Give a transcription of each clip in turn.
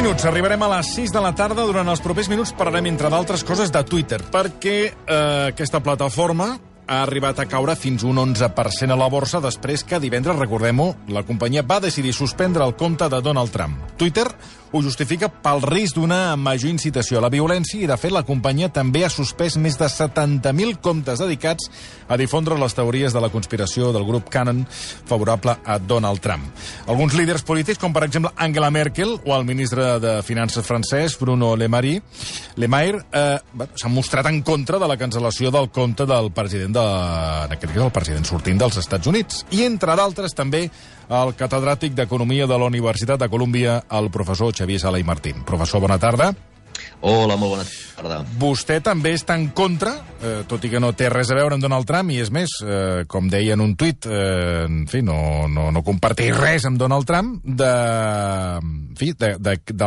minuts, arribarem a les 6 de la tarda. Durant els propers minuts parlarem, entre d'altres coses, de Twitter, perquè aquesta plataforma ha arribat a caure fins un 11% a la borsa després que divendres, recordem-ho, la companyia va decidir suspendre el compte de Donald Trump. Twitter ho justifica pel risc d'una major incitació a la violència i, de fet, la companyia també ha suspès més de 70.000 comptes dedicats a difondre les teories de la conspiració del grup Qanon favorable a Donald Trump. Alguns líders polítics, com per exemple Angela Merkel o el ministre de Finances francès, Bruno Le Maire, s'han mostrat en contra de la cancel·lació del compte del president en aquest cas el president sortint dels Estats Units. I, entre d'altres, també el catedràtic d'Economia de la Universitat de Colúmbia, el professor Xavier Sala i Martín. Professor, bona tarda. Hola, molt bona tarda. Vostè també està en contra, tot i que no té res a veure amb Donald Trump, i és més, com deia en un tuit, en fi, no comparteix res amb Donald Trump, de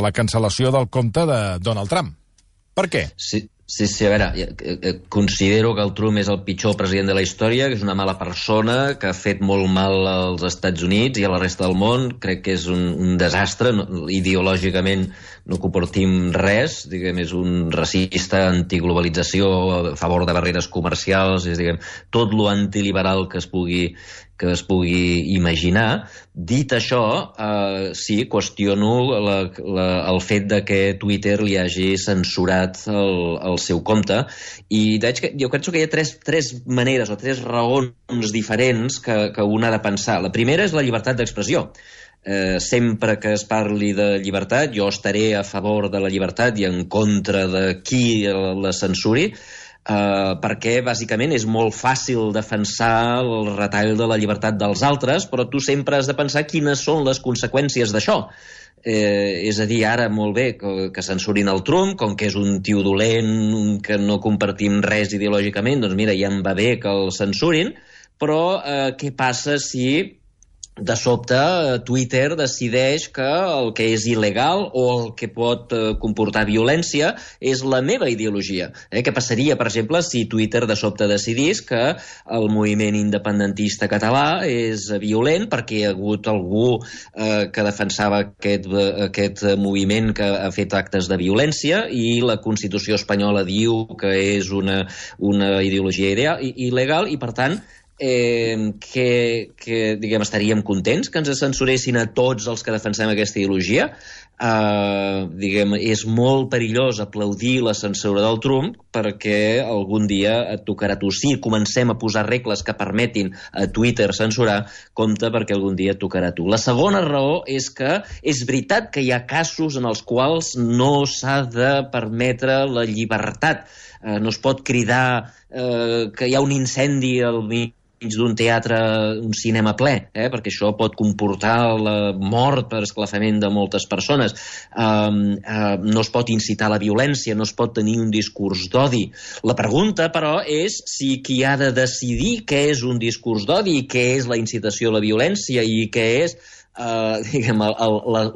la cancel·lació del compte de Donald Trump. Per què? Sí, a veure, considero que el Trump és el pitjor president de la història, que és una mala persona, que ha fet molt mal als Estats Units i a la resta del món. Crec que és un desastre, ideològicament no compartim res, diguem, és un racista, antiglobalització, a favor de barreres comercials, és, diguem, tot lo antiliberal que es pugui imaginar. Dit això, sí, qüestiono el fet de que Twitter li hagi censurat el seu compte, i jo penso que hi ha tres maneres o tres raons diferents que un ha de pensar. La primera és la llibertat d'expressió. Sempre que es parli de llibertat, jo estaré a favor de la llibertat i en contra de qui la censuri, perquè bàsicament és molt fàcil defensar el retall de la llibertat dels altres, però tu sempre has de pensar quines són les conseqüències d'això. És a dir, ara molt bé que censurin el Trump, com que és un tio dolent, que no compartim res ideològicament, doncs mira, ja em va bé que el censurin, però què passa si de sobte Twitter decideix que el que és il·legal o el que pot comportar violència és la meva ideologia? Què passaria, per exemple, si Twitter de sobte decidís que el moviment independentista català és violent perquè hi ha hagut algú que defensava aquest moviment que ha fet actes de violència i la Constitució espanyola diu que és una ideologia il·legal i, per tant, diguem, estaríem contents que ens censuressin a tots els que defensem aquesta ideologia? Diguem, és molt perillós aplaudir la censura del Trump perquè algun dia et tocarà a tu. Sí, comencem a posar regles que permetin a Twitter censurar, compte perquè algun dia et tocarà a tu. La segona raó és que és veritat que hi ha casos en els quals no s'ha de permetre la llibertat. No es pot cridar que hi ha un incendi al mig d'un teatre, un cinema ple, perquè això pot comportar la mort per esclafament de moltes persones. No es pot incitar a la violència, no es pot tenir un discurs d'odi. La pregunta, però, és si qui ha de decidir què és un discurs d'odi i què és la incitació a la violència i què és diguem,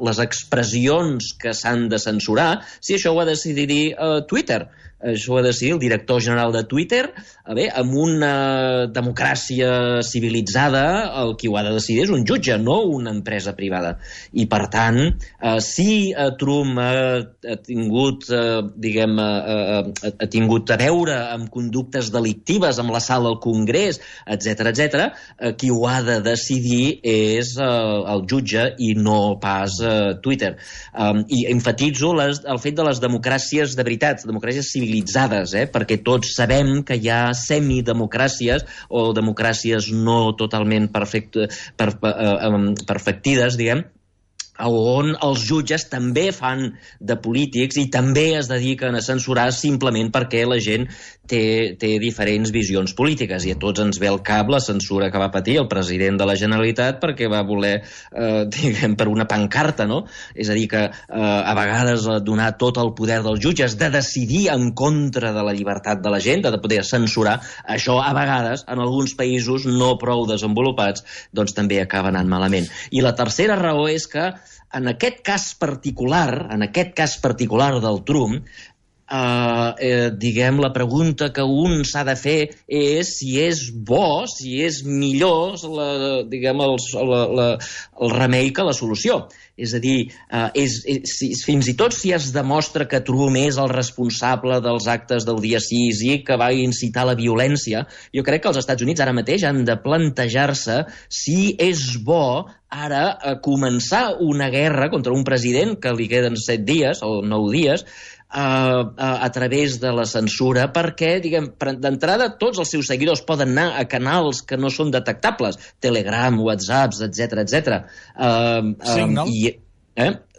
les expressions que s'han de censurar, si això ho ha de decidir Twitter. Això ho ha de decidir el director general de Twitter. Amb una democràcia civilitzada, el qui ho ha de decidir és un jutge, no una empresa privada. I, per tant, si Trump ha tingut, diguem, ha tingut a veure amb conductes delictives amb l'assalt al Congrés, etc., qui ho ha de decidir és el jutge i no pas Twitter. I enfatitzo el fet de les democràcies de veritat, democràcies civilitzades, perquè tots sabem que hi ha semidemocràcies o democràcies no totalment perfectides, diguem, on els jutges també fan de polítics i també es dediquen a censurar simplement perquè la gent té diferents visions polítiques, i a tots ens ve al cap la censura que va patir el president de la Generalitat perquè va voler, diguem, per una pancarta, no? És a dir, que a vegades donar tot el poder dels jutges de decidir en contra de la llibertat de la gent, de poder censurar, això a vegades, en alguns països no prou desenvolupats, doncs també acaba anant malament. I la tercera raó és que en aquest cas particular del Trump, diguem, la pregunta que un s'ha de fer és si és bo, si és millor, diguem, el remei que la solució. És a dir, fins i tot si es demostra que Trump és el responsable dels actes del dia 6 i que va incitar la violència, jo crec que els Estats Units ara mateix han de plantejar-se si és bo ara començar una guerra contra un president que li queden 7 dies o 9 dies a través de la censura, perquè, diguem, d'entrada tots els seus seguidors poden anar a canals que no són detectables, Telegram, WhatsApp, etc. Signal?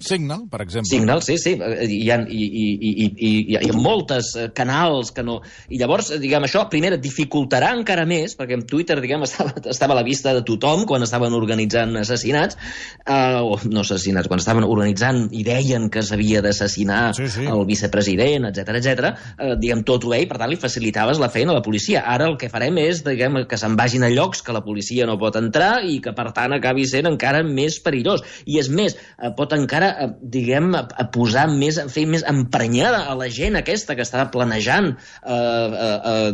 Signal, per exemple. Signal, sí. Hi ha moltes canals que no... I llavors, diguem, això, primer, dificultarà encara més, perquè en Twitter, diguem, estava a la vista de tothom quan estaven organitzant assassinats, o no assassinats, quan estaven organitzant i deien que s'havia d'assassinar el vicepresident, etc. Diguem, tot ho veia, per tant, li facilitaves la feina a la policia. Ara el que farem és, diguem, que se'n vagin a llocs que la policia no pot entrar i que, per tant, acabi sent encara més perillós. I és més, pot encara, diguem, a posar més, a fer més emprenyada a la gent aquesta que està planejant,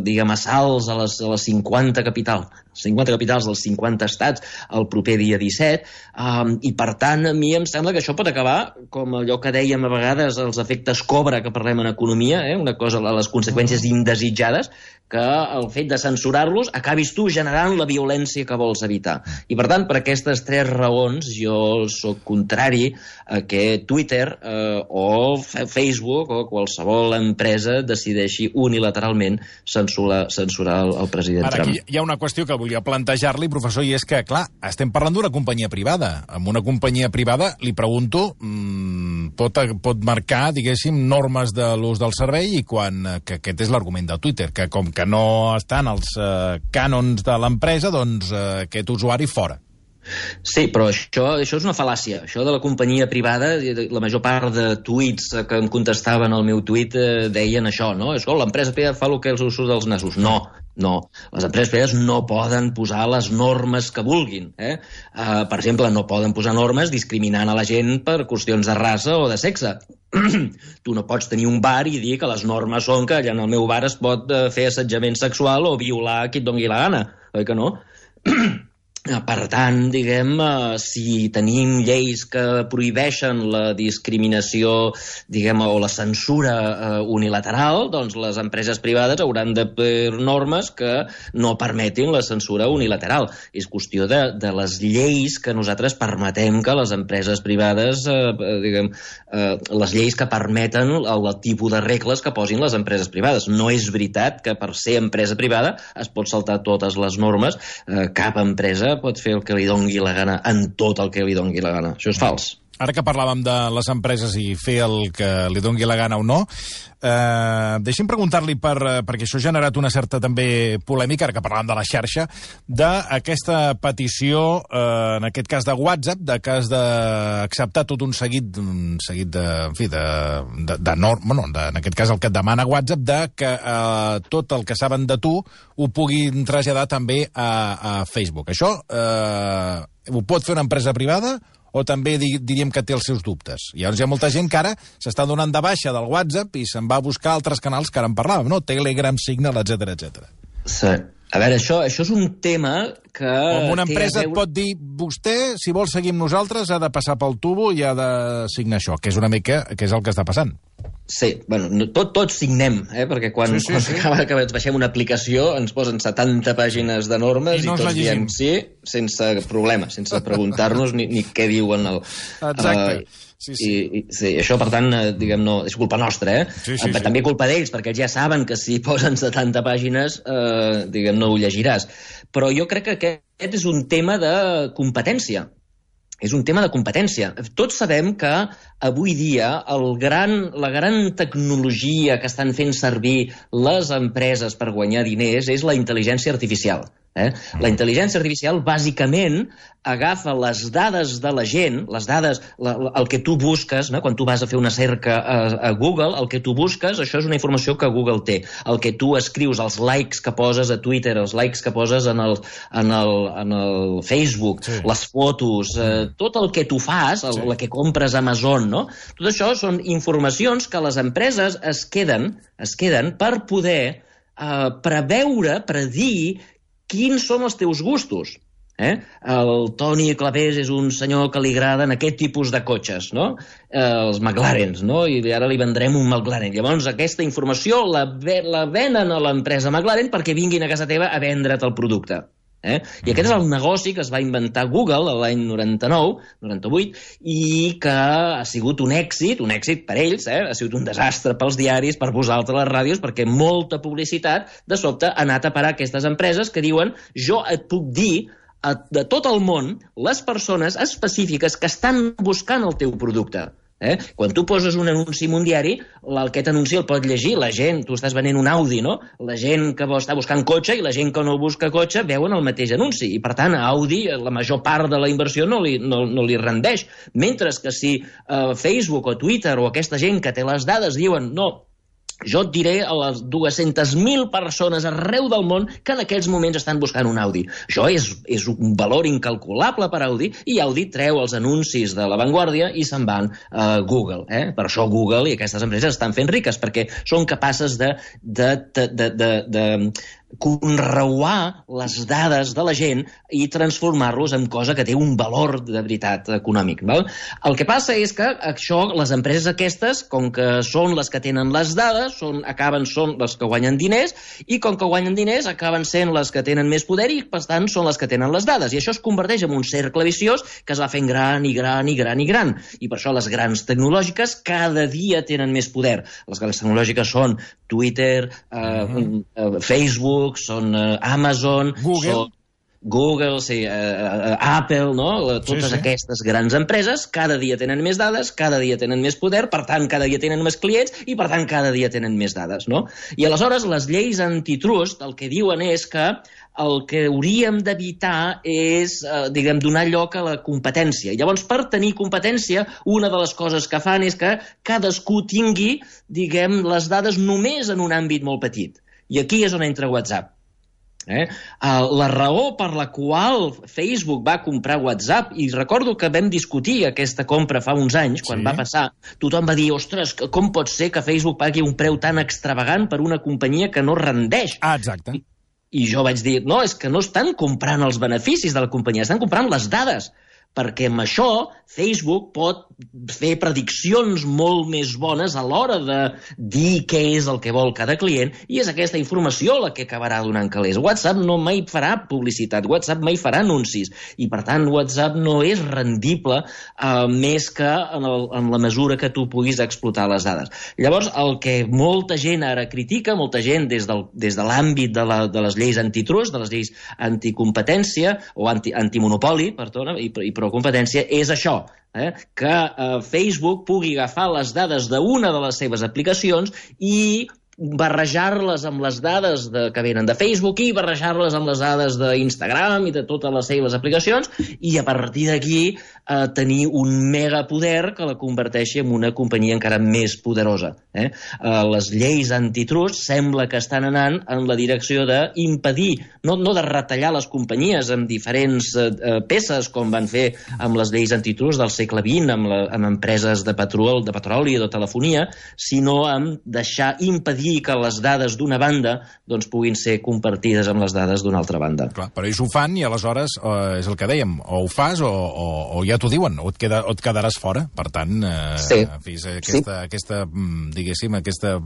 diguem, assalts a les 50 capitals dels 50 estats el proper dia 17, i per tant a mi em sembla que això pot acabar com allò que dèiem a vegades, els efectes Cobra que parlem en economia, una cosa, les conseqüències indesitjades, que el fet de censurar-los acabis tu generant la violència que vols evitar. I per tant, per aquestes 3 raons jo sóc contrari a que Twitter o Facebook o qualsevol empresa decideixi unilateralment censurar el president Trump. Aquí hi ha una qüestió que volia plantejar-li, professor, i és que, clar, estem parlant d'una companyia privada. Amb una companyia privada, li pregunto, pot marcar, diguéssim, normes de l'ús del servei i que aquest és l'argument de Twitter, que com que no estan els cànons de l'empresa, doncs aquest usuari fora. Sí, però això és una fal·làcia. Això de la companyia privada, la major part de tuits que em contestaven al meu tuit deien això, no? L'empresa privada fa el que els surt dels nassos. No. Les empreses privades no poden posar les normes que vulguin. Per exemple, no poden posar normes discriminant a la gent per qüestions de raça o de sexe. Tu no pots tenir un bar i dir que les normes són que allà en el meu bar es pot fer assetjament sexual o violar a qui et doni la gana, oi que no? Per tant, diguem, si tenim lleis que prohibeixen la discriminació, diguem, o la censura unilateral, doncs les empreses privades hauran de fer normes que no permetin la censura unilateral. És qüestió de les lleis que nosaltres permetem que les empreses privades, diguem, les lleis que permeten el tipus de regles que posin les empreses privades. No és veritat que per ser empresa privada es pot saltar totes les normes. Cap empresa pot fer el que li dongui la gana en tot el que li dongui la gana. Això és fals. Ara que parlàvem de les empreses i fer el que li dongui la gana o no, deixi'm preguntar-li, perquè això ha generat una certa també polèmica, ara que parlàvem de la xarxa, d'aquesta petició, en aquest cas de WhatsApp, de que has d'acceptar tot un seguit de, en fi, de normes, en aquest cas el que et demana WhatsApp, de que tot el que saben de tu ho puguin traslladar també a Facebook. Això ho pot fer una empresa privada o també diríem que té els seus dubtes? Llavors hi ha molta gent que ara s'està donant de baixa del WhatsApp i se'n va a buscar altres canals que ara en parlàvem, no? Telegram, Signal, etc. Sí. A veure, això és un tema que... Com una empresa et pot dir, vostè, si vol seguir amb nosaltres, ha de passar pel tubo i ha de signar això, que és una mica que és el que està passant. Sí, bueno, tots signem, perquè quan acaba que ens baixem una aplicació ens posen 70 pàgines de normes i tots diem sí, sense problema, sense preguntar-nos ni què diuen. Exacte. Sí, això, per tant, diguem, no, és culpa nostra, també culpa d'ells, perquè ells ja saben que si posen 70 pàgines, diguem, no ho llegiràs. Però jo crec que aquest és un tema de competència. És un tema de competència. Tots sabem que avui dia la gran tecnologia que estan fent servir les empreses per guanyar diners és la intel·ligència artificial. La intel·ligència artificial, bàsicament, agafa les dades de la gent, les dades, el que tu busques, quan tu vas a fer una cerca a Google, el que tu busques, això és una informació que Google té. El que tu escrius, els likes que poses a Twitter, els likes que poses en el Facebook, les fotos, tot el que tu fas, el que compres a Amazon, no? Tot això són informacions que les empreses es queden per poder predir quins són els teus gustos. El Toni Clapés és un senyor que li agraden aquest tipus de cotxes, no? Els McLarens, no? I ara li vendrem un McLaren. Llavors aquesta informació la venen a l'empresa McLaren perquè vinguin a casa teva a vendre't el producte. I aquest és el negoci que es va inventar Google l'any 98, i que ha sigut un èxit per ells, ha sigut un desastre pels diaris, per vosaltres les ràdios, perquè molta publicitat de sobte ha anat a parar a aquestes empreses que diuen jo et puc dir de tot el món les persones específiques que estan buscant el teu producte. Quan tu poses un anunci en un diari, aquest anunci el pot llegir la gent. Tu estàs venent un Audi, no? La gent que està buscant cotxe i la gent que no busca cotxe veuen el mateix anunci. I, per tant, a Audi la major part de la inversió no li rendeix. Mentre que si Facebook o Twitter o aquesta gent que té les dades diuen no, jo et diré a les 200.000 persones arreu del món que en aquests moments estan buscant un Audi. Això és un valor incalculable per Audi, i Audi treu els anuncis de l'avantguàrdia i se'n van a Google. Per això Google i aquestes empreses estan fent riques, perquè són capaces de conreuar les dades de la gent i transformar-los en cosa que té un valor de veritat econòmic. El que passa és que això, les empreses aquestes, com que són les que tenen les dades, són les que guanyen diners, i com que guanyen diners acaben sent les que tenen més poder i, per tant, són les que tenen les dades. I això es converteix en un cercle viciós que es va fent gran i gran i gran i gran. I per això les grans tecnològiques cada dia tenen més poder. Les grans tecnològiques són Twitter, Facebook, són Amazon, Google, Apple, no? Totes aquestes grans empreses cada dia tenen més dades, cada dia tenen més poder, per tant, cada dia tenen més clients i, per tant, cada dia tenen més dades, no? I aleshores les lleis antitrust el que diuen és que el que hauríem d'evitar és, donar lloc a la competència. Llavors, per tenir competència, una de les coses que fan és que cadascú tingui, les dades només en un àmbit molt petit. I aquí és on entra WhatsApp. La raó per la qual Facebook va comprar WhatsApp, i recordo que vam discutir aquesta compra fa uns anys, quan va passar, tothom va dir, ostres, com pot ser que Facebook pagui un preu tan extravagant per una companyia que no rendeix? Exacte. I jo vaig dir, no, és que no estan comprant els beneficis de la companyia, estan comprant les dades, perquè amb això Facebook pot fer prediccions molt més bones a l'hora de dir què és el que vol cada client, i és aquesta informació la que acabarà donant calés. WhatsApp no mai farà publicitat, WhatsApp mai farà anuncis, i per tant WhatsApp no és rendible més que en la mesura que tu puguis explotar les dades. Llavors, el que molta gent ara critica, molta gent des de l'àmbit de les lleis antitrust, de les lleis anticompetència, o antimonopoli, perdona, i pro-competència, és això, que Facebook pugui agafar les dades d'una de les seves aplicacions i barrejar-les amb les dades que venen de Facebook i barrejar-les amb les dades d'Instagram i de totes les seves aplicacions, i a partir d'aquí tenir un megapoder que la converteixi en una companyia encara més poderosa. Les lleis antitrust sembla que estan anant en la direcció d'impedir, no de retallar les companyies amb diferents peces, com van fer amb les lleis antitrust del segle XX, amb empreses de petroli o de telefonia, sinó amb impedir que les dades d'una banda puguin ser compartides amb les dades d'una altra banda. Clar, però ells ho fan i aleshores és el que dèiem, o ho fas o ja t'ho diuen, o et quedaràs fora. Per tant, aquesta diguéssim, aquesta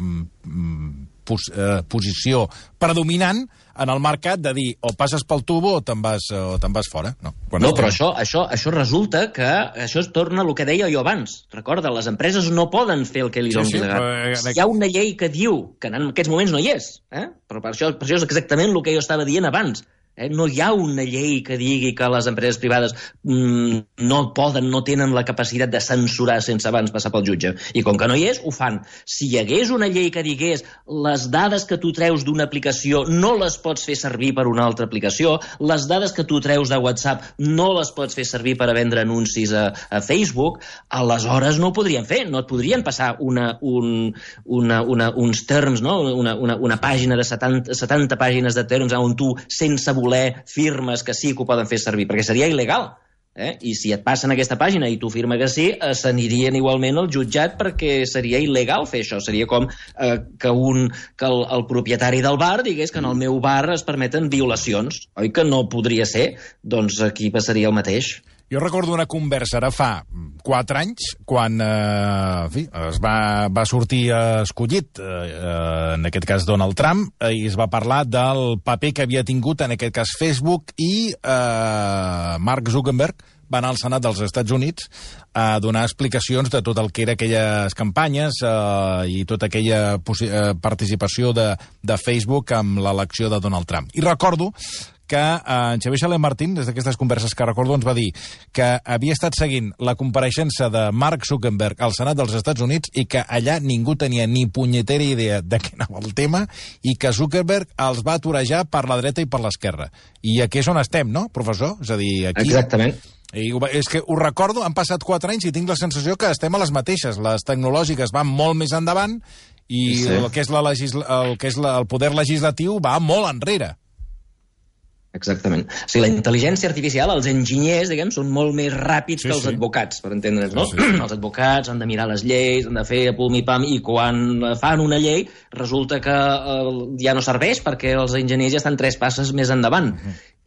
posició predominant en el mercat de dir o passes pel tubo o te'n vas fora. No, però això resulta que això es torna el que deia jo abans. Recorda, les empreses no poden fer el que li doni la gana. Hi ha una llei que diu, que en aquests moments no hi és, però per això és exactament el que jo estava dient abans. No hi ha una llei que digui que les empreses privades no tenen la capacitat de censurar sense abans passar pel jutge. I com que no hi és, ho fan. Si hi hagués una llei que digués les dades que tu treus d'una aplicació no les pots fer servir per una altra aplicació, les dades que tu treus de WhatsApp no les pots fer servir per a vendre anuncis a Facebook, aleshores no ho podrien fer. No et podrien passar uns terms, no? una pàgina de 70 pàgines de terms on tu, sense voler, firmes que sí que ho poden fer servir, perquè seria il·legal. I si et passen aquesta pàgina i tu firma que sí, s'anirien igualment al jutjat perquè seria il·legal fer això. Seria com que el propietari del bar digués que en el meu bar es permeten violacions. Oi que no podria ser? Doncs aquí passaria el mateix. Jo recordo una conversa ara fa 4 anys, quan es va sortir escollit, en aquest cas Donald Trump, i es va parlar del paper que havia tingut, en aquest cas Facebook, i Mark Zuckerberg va anar al Senat dels Estats Units a donar explicacions de tot el que era aquelles campanyes i tota aquella participació de Facebook amb l'elecció de Donald Trump. I recordo que en Xavier Xalet Martín, des d'aquestes converses que recordo, ens va dir que havia estat seguint la compareixença de Mark Zuckerberg al Senat dels Estats Units i que allà ningú tenia ni punyetera idea de què anava el tema i que Zuckerberg els va atorejar per la dreta i per l'esquerra. I aquí és on estem, no, professor? És a dir, aquí... Exactament. I és que ho recordo, han passat 4 anys i tinc la sensació que estem a les mateixes. Les tecnològiques van molt més endavant i sí. el que és el poder legislatiu va molt enrere. Exactament. O sigui, la intel·ligència artificial, els enginyers, diguem, són molt més ràpids que els advocats, per entendre'ns, no? Sí. Els advocats han de mirar les lleis, han de fer pum-i-pam, i quan fan una llei resulta que ja no serveix perquè els enginyers ja estan 3 passes més endavant.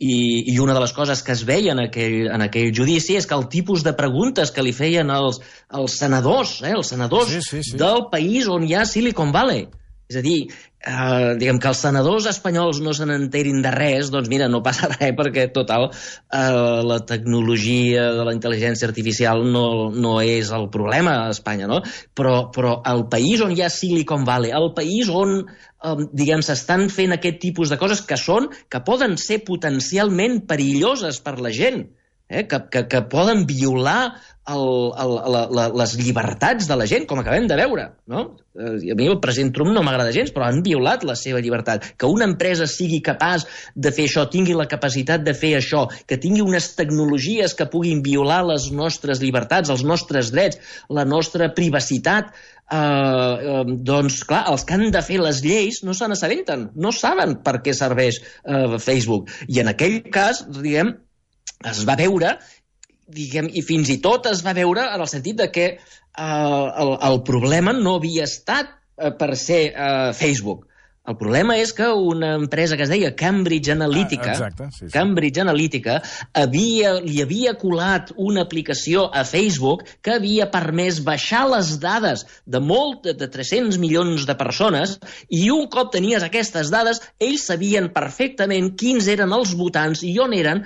I una de les coses que es veia en aquell judici és que el tipus de preguntes que li feien els senadors, del país on hi ha Silicon Valley. És a dir, diguem que els senadors espanyols no se n'enterin de res, doncs mira, no passa res perquè, total, la tecnologia de la intel·ligència artificial no és el problema a Espanya, no? Però el país on hi ha Silicon Valley, el país on, diguem, s'estan fent aquest tipus de coses que poden ser potencialment perilloses per la gent, que poden violar les llibertats de la gent, com acabem de veure, no? A mi el president Trump no m'agrada gens, però han violat la seva llibertat. Que una empresa sigui capaç de fer això, tingui la capacitat de fer això, que tingui unes tecnologies que puguin violar les nostres llibertats, els nostres drets, la nostra privacitat, doncs, clar, els que han de fer les lleis no se n'assabenten, no saben per què serveix Facebook. I en aquell cas, diguem, es va veure, diguem, i fins i tot es va veure en el sentit de que el problema no havia estat per ser Facebook. El problema és que una empresa que es deia Cambridge Analytica, Cambridge Analytica li havia colat una aplicació a Facebook que havia permès baixar les dades de 300 milions de persones, i un cop tenies aquestes dades, ells sabien perfectament quins eren els votants i on eren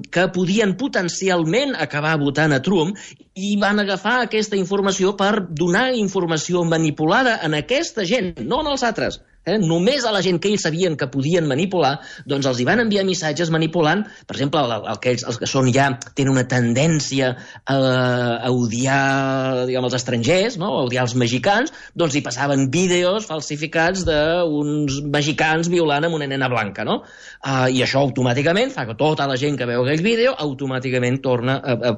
que podien potencialment acabar votant a Trump, i van agafar aquesta informació per donar informació manipulada en aquesta gent, no en els altres. Només a la gent que ells sabien que podien manipular, doncs els hi van enviar missatges manipulant, per exemple, els que són ja tenen una tendència a odiar, diguem, els estrangers, no? A odiar els mexicans, doncs hi passaven vídeos falsificats d'uns mexicans violant amb una nena blanca, no? I això automàticament fa que tota la gent que veu aquell vídeo automàticament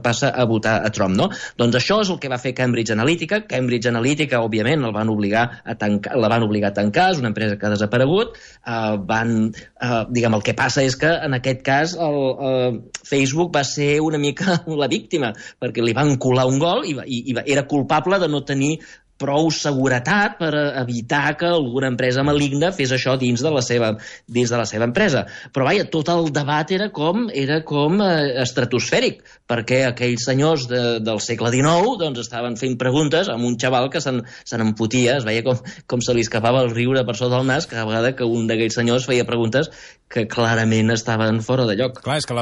passa a votar a Trump, no? Doncs això és el que va fer Cambridge Analytica. Cambridge Analytica, òbviament, la van obligar a tancar, és una empresa que ha desaparegut. Diguem, el que passa és que en aquest cas Facebook va ser una mica la víctima, perquè li van colar un gol i era culpable de no tenir prou seguretat per evitar que alguna empresa maligna fes això dins de la seva empresa. Però vaja, tot el debat era com estratosfèric, perquè aquells senyors del segle XIX doncs estaven fent preguntes amb un xaval que se n'empotia, es veia com se li escapava el riure per sota del nas cada vegada que un d'aquells senyors feia preguntes que clarament estaven fora de lloc. Clar, és que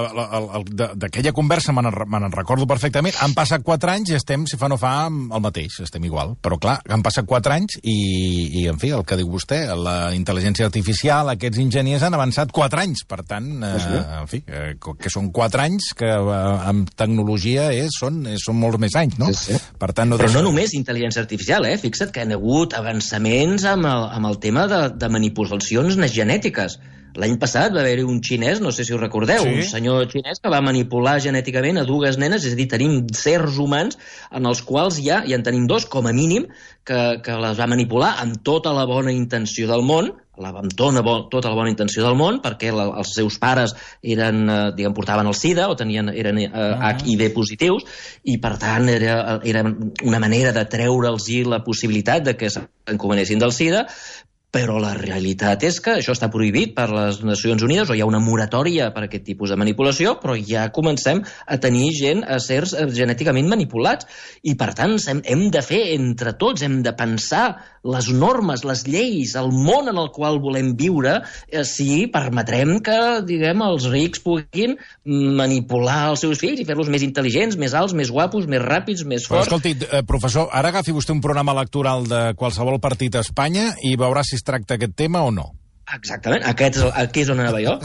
d'aquella conversa me'n recordo perfectament. Han passat 4 anys i estem, si fa no fa, el mateix, estem igual. Però clar, clar, han passat 4 anys i, en fi, el que diu vostè, la intel·ligència artificial, aquests enginyers han avançat 4 anys. Per tant, en fi, que són 4 anys que amb tecnologia són molts més anys, no? Sí. Per tant, però no només intel·ligència artificial, Fixa't que hi ha hagut avançaments amb el tema de manipulacions genètiques. L'any passat va haver-hi un xinès, no sé si ho recordeu, un senyor xinès que va manipular genèticament a 2 nenes, és a dir, tenim certs humans en els quals ja en tenim 2, com a mínim, que les va manipular amb tota la bona intenció del món, tota la bona intenció del món, perquè els seus pares portaven el SIDA o eren HIV positius, i per tant era una manera de treure'ls la possibilitat de que s'encomanessin del SIDA. Però la realitat és que això està prohibit per les Nacions Unides, o hi ha una moratòria per aquest tipus de manipulació, però ja comencem a tenir gent, a éssers genèticament manipulats. I, per tant, hem de fer entre tots, hem de pensar les normes, les lleis, el món en el qual volem viure, si permetrem que, els rics puguin manipular els seus fills i fer-los més intel·ligents, més alts, més guapos, més ràpids, més forts. Però, escolti, professor, ara agafi vostè un programa electoral de qualsevol partit a Espanya i veurà si es tracta aquest tema o no. Exactament, aquí és on anava jo.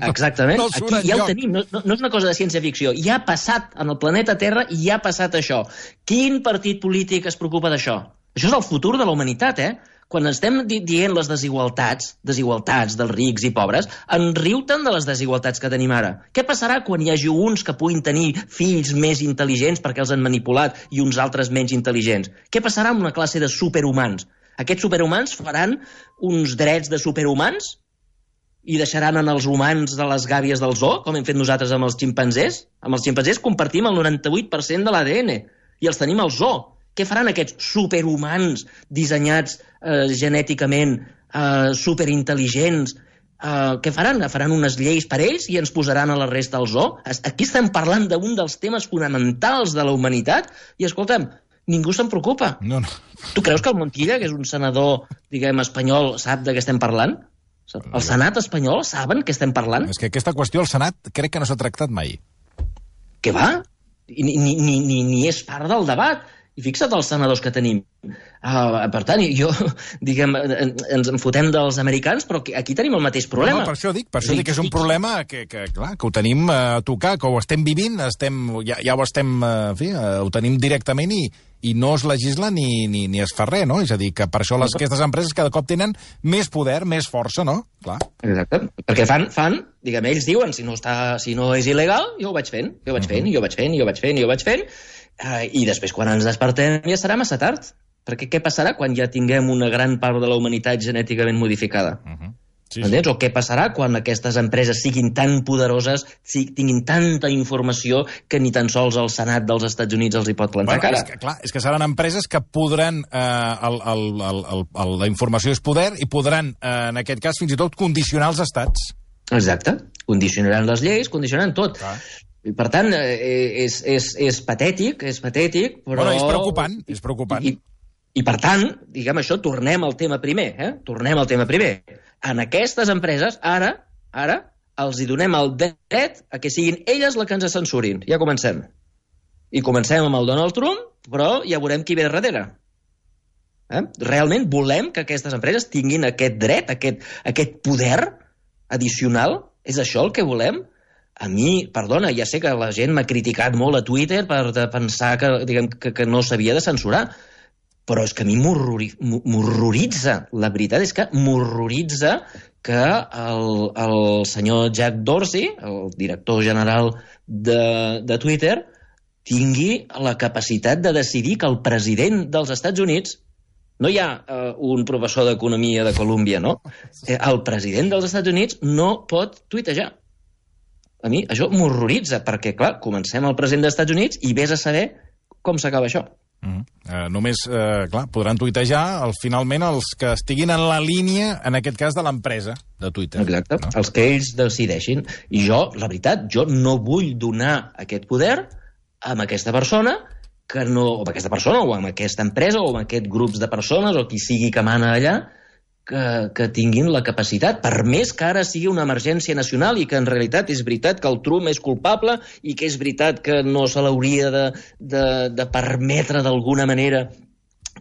Exactament, aquí ja ho tenim, no és una cosa de ciència-ficció, ja ha passat en el planeta Terra i ja ha passat això. Quin partit polític es preocupa d'això? Això és el futur de la humanitat, Quan estem dient les desigualtats dels rics i pobres, enriu-te'n de les desigualtats que tenim ara. Què passarà quan hi hagi uns que puguin tenir fills més intel·ligents perquè els han manipulat i uns altres menys intel·ligents? Què passarà amb una classe de superhumans? Aquests superhumans faran uns drets de superhumans i deixaran en els humans de les gàbies del zoo, com hem fet nosaltres amb els ximpanzés? Amb els ximpanzés compartim el 98% de l'ADN i els tenim al zoo. Què faran aquests superhumans dissenyats genèticament, superintel·ligents? Què faran? Faran unes lleis per ells i ens posaran a la resta al zoo? Aquí estem parlant d'un dels temes fonamentals de la humanitat i, escolta'm, ningú se'n preocupa. No. Tu creus que el Montilla, que és un senador, espanyol, sap de què estem parlant? El Senat espanyol saben què estem parlant? És que aquesta qüestió al Senat crec que no s'ha tractat mai. Què va? Ni és part del debat. I fixa't els senadors que tenim. Per tant, ens enfotem dels americans, però aquí tenim el mateix problema. No, per això dic que és un problema que ho tenim a tocar, que ho estem vivint, ja ho estem, ho tenim directament i no es legisla ni es fa res, no? És a dir, que per això aquestes empreses cada cop tenen més poder, més força, no? Clar. Exacte, perquè fan, ells diuen, si no és il·legal, jo ho vaig fent, i després quan ens despertem ja serà massa tard, perquè què passarà quan ja tinguem una gran part de la humanitat genèticament modificada? Entens? O què passarà quan aquestes empreses siguin tan poderoses, tinguin tanta informació que ni tan sols el Senat dels Estats Units els hi pot plantar cara? És que seran empreses que podran la informació és poder i podran, en aquest cas, fins i tot condicionar els estats. Exacte, condicionaran les lleis, condicionaran tot. I, per tant, és patètic, però... Bueno, és preocupant. I per tant, això, tornem al tema primer. En aquestes empreses, ara, els hi donem el dret a que siguin elles les que ens censurin. Ja comencem. I comencem amb el Donald Trump, però ja veurem qui ve darrere. Realment volem que aquestes empreses tinguin aquest dret, aquest poder addicional? És això el que volem? A mi, perdona, ja sé que la gent m'ha criticat molt a Twitter per pensar que no s'havia de censurar, però és que a mi m'horroritza, la veritat és que m'horroritza que el senyor Jack Dorsey, el director general de Twitter, tingui la capacitat de decidir que el president dels Estats Units, no hi ha un professor d'economia de Colúmbia, no? El president dels Estats Units no pot tuitejar. A mi això m'horroritza, perquè, clar, comencem al president dels Estats Units i vés a saber com s'acaba això. Només, podran tuitejar finalment els que estiguin en la línia, en aquest cas, de l'empresa de Twitter. Exacte, no? Els que ells decideixin. I jo, la veritat, no vull donar aquest poder a aquesta persona, o amb aquesta empresa, o amb aquests grups de persones, o qui sigui que mana allà, que tinguin la capacitat, per més que ara sigui una emergència nacional i que en realitat és veritat que el Trump és culpable i que és veritat que no se l'hauria de permetre d'alguna manera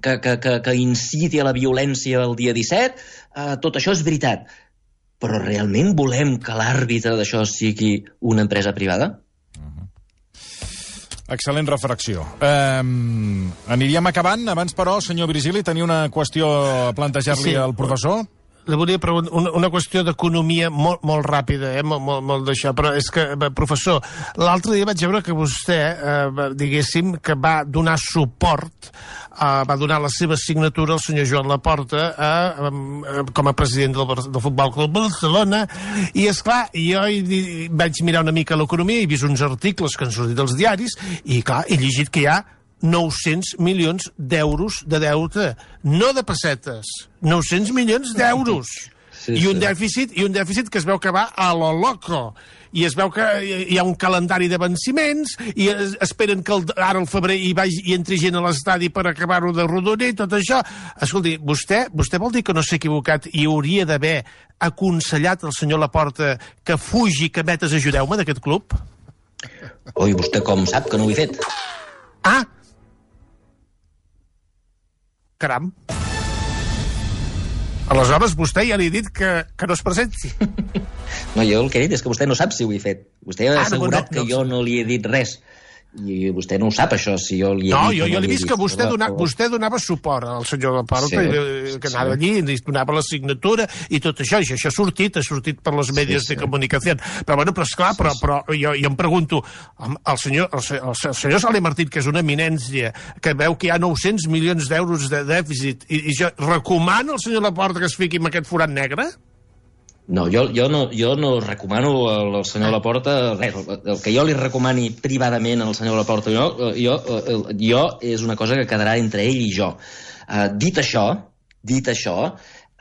que inciti a la violència el dia 17, tot això és veritat. Però realment volem que l'àrbitre d'això sigui una empresa privada? Excel·lent reflexió. Aniríem acabant. Abans, però, senyor Virgili, tenia una qüestió a plantejar-li al professor? Li volia preguntar una qüestió d'economia molt ràpida, molt d'això, però és que, professor, l'altre dia vaig veure que vostè, diguéssim, que va donar suport, va donar la seva signatura al senyor Joan Laporta com a president del Futbol Club Barcelona, i esclar, jo vaig mirar una mica l'economia, he vist uns articles que han sortit dels diaris, i clar, he llegit que hi ha 900 milions d'euros de deute, no de pessetes, 900 milions d'euros. Sí, I un dèficit que es veu que va a lo loco. I es veu que hi ha un calendari de venciments i esperen que ara al febrer hi entri gent a l'estadi per acabar-ho de rodonir i tot això. Escolti, vostè vol dir que no s'ha equivocat i hauria d'haver aconsellat al senyor Laporta que fugi, que vetes ajudeu-me d'aquest club? Oi, vostè com sap que no ho he fet? Ah! Caram. Aleshores, vostè ja li ha dit que no es presenti. No, jo el que he dit és que vostè no sap si ho he fet. Vostè ha assegurat que jo no li he dit res. I vostè no ho sap, això, si jo li he dit... No, jo l'he vist que vostè donava suport al senyor Laporta, que anava allí, i donava la signatura i tot això, i això ha sortit per les mèdies de comunicació. Però, bueno, esclar, però jo em pregunto, el senyor Soler Martín, que és una eminència, que veu que hi ha 900 milions d'euros de dèficit, i jo recomano al senyor Laporta que es fiqui en aquest forat negre? No, jo no recomano al senyor Laporta res. El que jo li recomani privadament al senyor Laporta jo és una cosa que quedarà entre ell i jo. Dit això,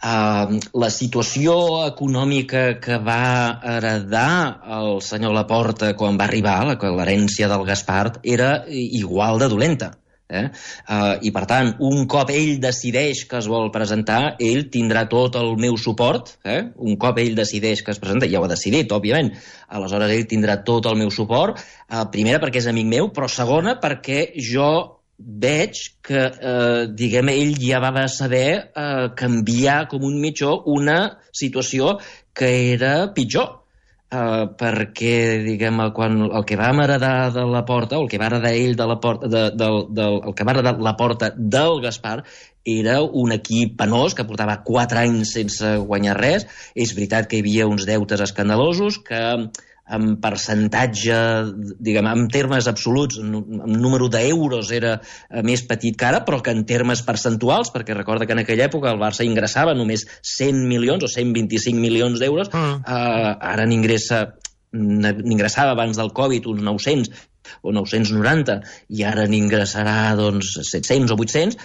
la situació econòmica que va heredar el senyor Laporta quan va arribar, l'herència del Gaspart, era igual de dolenta. I per tant, un cop ell decideix que es vol presentar, ell tindrà tot el meu suport. Un cop ell decideix que es presenta, ja ho ha decidit, òbviament, aleshores ell tindrà tot el meu suport, primera perquè és amic meu, però segona perquè jo veig que, diguem, ell ja va saber canviar com un mitjó una situació que era pitjor. Perquè, diguem, quan el que vam heredar de Laporta, o el que va heredar ell de Laporta, el que va heredar Laporta del Gaspar, era un equip penós que portava 4 anys sense guanyar res. És veritat que hi havia uns deutes escandalosos que en percentatge, diguem, en termes absoluts, en número d'euros era més petit que ara, però que en termes percentuals, perquè recorda que en aquella època el Barça ingressava només 100 milions o 125 milions d'euros, ara n'ingressava abans del Covid uns 900 o 990, i ara n'ingressarà 700 o 800.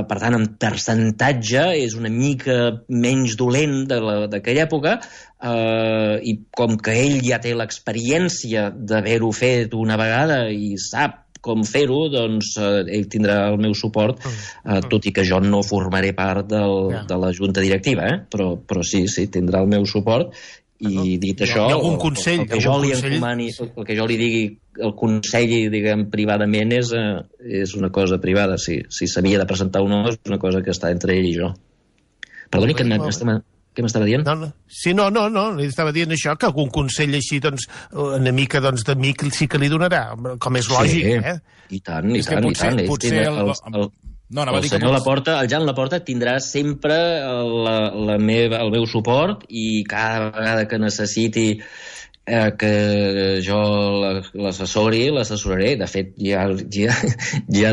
Per tant, en percentatge és una mica menys dolent d'aquella època, i com que ell ja té l'experiència d'haver-ho fet una vegada i sap com fer-ho, doncs ell tindrà el meu suport, tot i que jo no formaré part de la junta directiva, però sí, tindrà el meu suport. I dit això, algun consell, el que jo li encomani, el que jo li digui, el consell, diguem, privadament és una cosa privada. Si s'havia de presentar o no, és una cosa que està entre ell i jo. Perdoni, què m'estava dient? Sí, no, li estava dient això, que algun consell així, doncs, una mica d'amic sí que li donarà, com és lògic, I tant. Potser el senyor Laporta, el Jan Laporta, tindrà sempre el meu suport, i cada vegada que necessiti que jo l'assessoraré. De fet, ja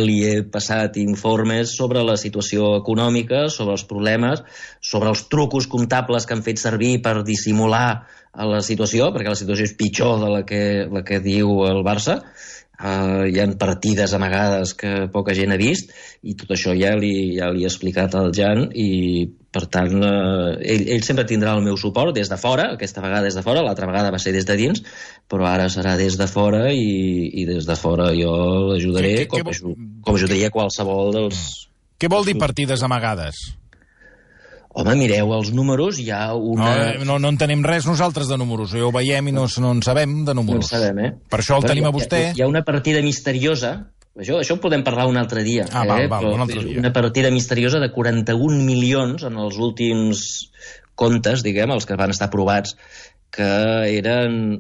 li he passat informes sobre la situació econòmica, sobre els problemes, sobre els trucos comptables que han fet servir per dissimular la situació, perquè la situació és pitjor de la que diu el Barça. Hi ha partides amagades que poca gent ha vist, i tot això ja li he explicat al Jan, i per tant ell sempre tindrà el meu suport des de fora. Aquesta vegada des de fora, l'altra vegada va ser des de dins, però ara serà des de fora, i des de fora jo l'ajudaré com ajudaria qualsevol dels... Què vol dir partides amagades? Home, mireu els números, hi ha una... No entenem res nosaltres de números, ho veiem i no en sabem de números. No en sabem, Per això el tenim a vostè. Hi ha una partida misteriosa Això ho podem parlar un altre dia. Val, un altre dia. Una partida misteriosa de 41 milions en els últims comptes, diguem, els que van estar aprovats, que eren,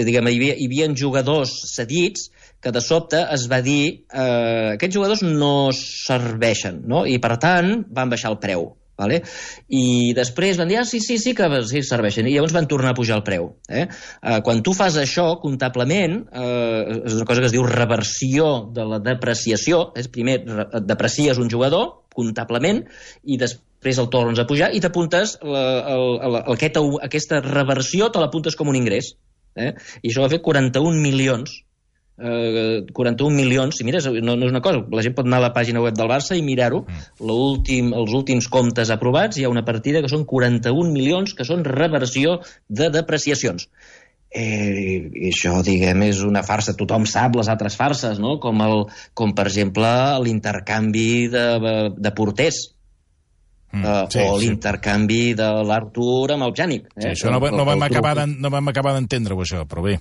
diguem, hi havia jugadors cedits que de sobte es va dir aquests jugadors no serveixen, no? I per tant van baixar el preu. Vale? I després van dir, sí que serveixen, i llavors van tornar a pujar el preu. Quan tu fas això, comptablement, és una cosa que es diu reversió de la depreciació. Primer deprecies un jugador, comptablement, i després el tornes a pujar i t'apuntes aquesta reversió, te l'apuntes com un ingrés. I això va fer 41 milions. 41 milions, si mires, no és una cosa, la gent pot anar a la pàgina web del Barça i mirar-ho, els últims comptes aprovats, hi ha una partida que són 41 milions, que són reversió de depreciacions. I això, diguem, és una farsa. Tothom sap les altres farses, no? Com per exemple l'intercanvi de porters, o l'intercanvi de l'Artur amb el Pjanic. Això no vam acabar d'entendre-ho, això, però bé.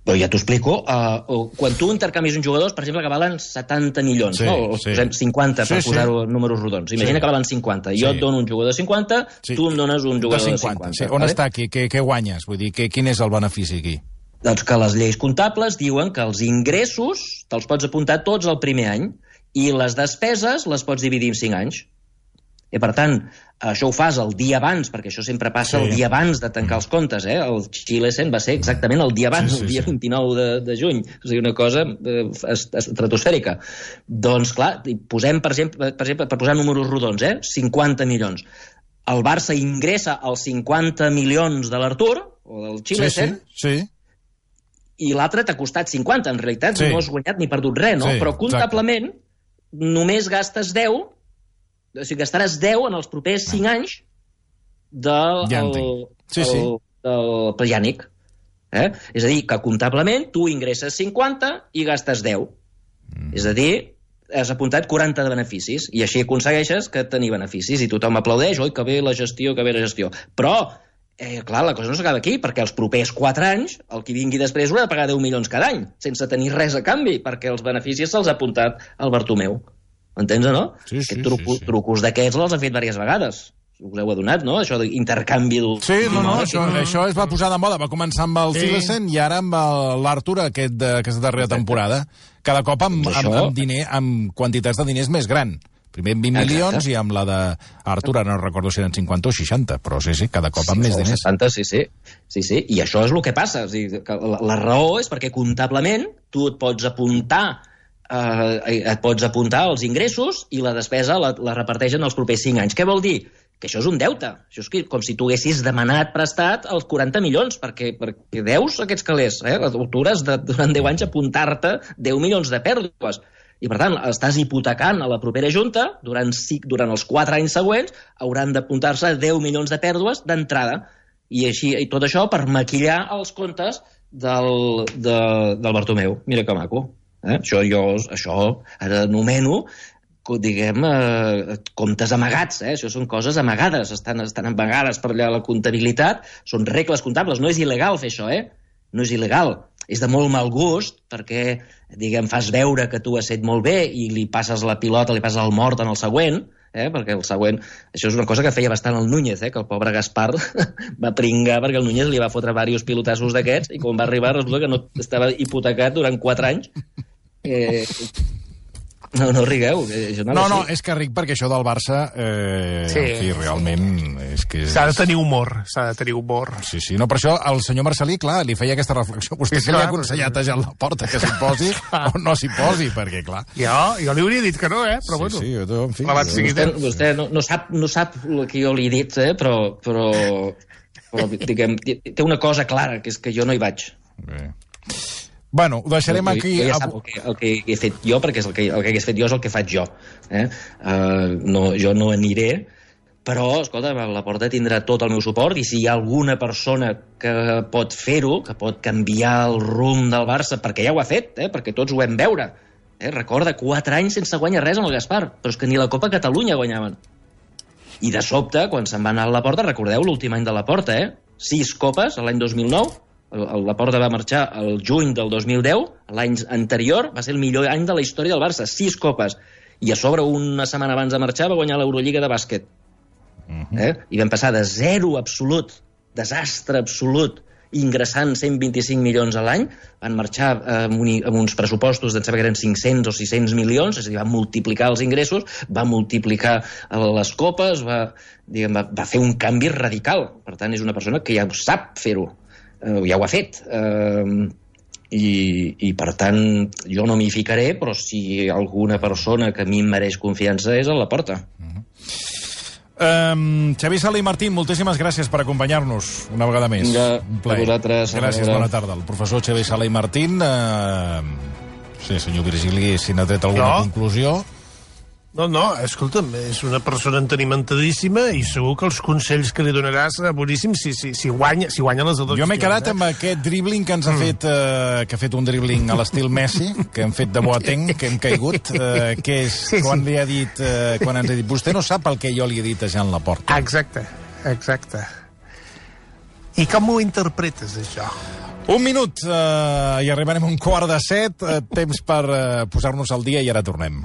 Però ja t'ho explico. Quan tu intercanvis uns jugadors, per exemple, que valen 70 milions, no? O posem 50 per posar-ho en números rodons. Imagina que valen 50. Jo et dono un jugador de 50, tu em dones un jugador de 50. On està aquí? Què guanyes? Vull dir, quin és el benefici aquí? Doncs que les lleis comptables diuen que els ingressos te'ls pots apuntar tots el primer any i les despeses les pots dividir en 5 anys. I per tant, això ho fas el dia abans, perquè això sempre passa el dia abans de tancar els comptes. El Xilesen va ser exactament el dia abans, el dia 29 de juny. O sigui, una cosa estratosfèrica. Doncs, clar, posem, per exemple, per posar números rodons, 50 milions. El Barça ingressa els 50 milions de l'Artur, o del Xilesen, i l'altre t'ha costat 50. En realitat no has guanyat ni perdut res, no? Però comptablement només gastes 10. O sigui, gastaràs 10 en els propers 5 anys del Pjanic. És a dir, que comptablement tu ingresses 50 i gastes 10. És a dir, has apuntat 40 de beneficis i així aconsegueixes que tenir beneficis i tothom aplaudeix, oi, que bé la gestió, que bé la gestió. Però, clar, la cosa no s'acaba aquí, perquè els propers 4 anys, el que vingui després haurà de pagar 10 milions cada any, sense tenir res a canvi, perquè els beneficis se'ls ha apuntat al Bartomeu. Entens o no? Trucos d'aquests els han fet diverses vegades. Us heu adonat, no? Això d'intercanvi... Això es va posar de moda. Va començar amb el Xilesen i ara amb l'Artur aquesta darrera temporada. Cada cop amb quantitats de diners més gran. Primer amb 20 milions i amb la d'Artur, no recordo si eren 50 o 60, però cada cop amb més diners. 60, sí. I això és el que passa. La raó és perquè comptablement tu et pots apuntar els ingressos i la despesa la reparteixen els propers 5 anys. Què vol dir? Que això és un deute. Això és com si tu haguessis demanat prestat els 40 milions, perquè deus aquests calés. Tu hauràs durant 10 anys apuntar-te 10 milions de pèrdues. I, per tant, estàs hipotecant a la propera junta, durant els 4 anys següents, hauran d'apuntar-se 10 milions de pèrdues d'entrada. I tot això per maquillar els comptes del Bartomeu. Mira que maco. Això ara anomeno, diguem, comptes amagats. Això són coses amagades, estan amagades per allà la comptabilitat, són regles comptables. No és il·legal fer això, no és il·legal. És de molt mal gust perquè, diguem, fas veure que tu has fet molt bé i li passes la pilota, li passes el mort en el següent, perquè el següent... Això és una cosa que feia bastant el Núñez, que el pobre Gaspar va pringar perquè el Núñez li va fotre diversos pilotassos d'aquests i quan va arribar resulta que no estava hipotecat durant 4 anys. No rigueu. No, és que ric perquè això del Barça realment és que... S'ha de tenir humor. Sí, no, per això el senyor Marcelí, clar, li feia aquesta reflexió. Vostè que li ha aconsellat a Jan Laporta que s'hi posi o no s'hi posi, perquè, clar... Jo li hauria dit que no, però bueno. Sí, en fi... Vostè no sap el que jo li he dit, però diguem, té una cosa clara, que és que jo no hi vaig. Bé. Bueno, ho deixarem aquí... Ja sap el que he fet jo, perquè el que hagués fet jo és el que faig jo. Jo no aniré, però, escolta, Laporta tindrà tot el meu suport i si hi ha alguna persona que pot fer-ho, que pot canviar el rumb del Barça, perquè ja ho ha fet, perquè tots ho vam veure. Recorda, 4 anys sense guanyar res amb el Gaspar, però és que ni la Copa Catalunya guanyaven. I de sobte, quan se'n va anar a Laporta, recordeu l'últim any de Laporta, 6 copes, l'any 2009, Laporta va marxar el juny del 2010, l'any anterior va ser el millor any de la història del Barça, 6 copes, i a sobre una setmana abans de marxar va guanyar l'Eurolliga de bàsquet. I vam passar de 0 absolut, desastre absolut, ingressant 125 milions a l'any, van marxar amb uns pressupostos d'en saber que eren 500 o 600 milions, és a dir, va multiplicar els ingressos, va multiplicar les copes, va fer un canvi radical. Per tant, és una persona que ja sap fer-ho, ja ho ha fet. I per tant, jo no m'hi ficaré, però si alguna persona que a mi em mereix confiança és a Laporta. Xavier Sala i Martín, moltíssimes gràcies per acompanyar-nos una vegada més. Un plaer. A vosaltres. Gràcies, bona tarda. El professor Xavier Sala i Martín. Sí, senyor Virgili, si n'ha tret alguna conclusió. No, escolta'm, és una persona entenimentadíssima i segur que els consells que li donaràs boníssims si guanya les eleccions. Jo m'he quedat amb aquest dribbling que ens ha fet, que ha fet un dribbling a l'estil Messi, que hem fet de Boateng, que hem caigut, que és quan li ha dit, quan ens ha dit, vostè no sap el que jo li he dit a Jean Laporta. Exacte. I com ho interpretes, això? Un minut, i arribarem a 6:15, temps per posar-nos al dia i ara tornem.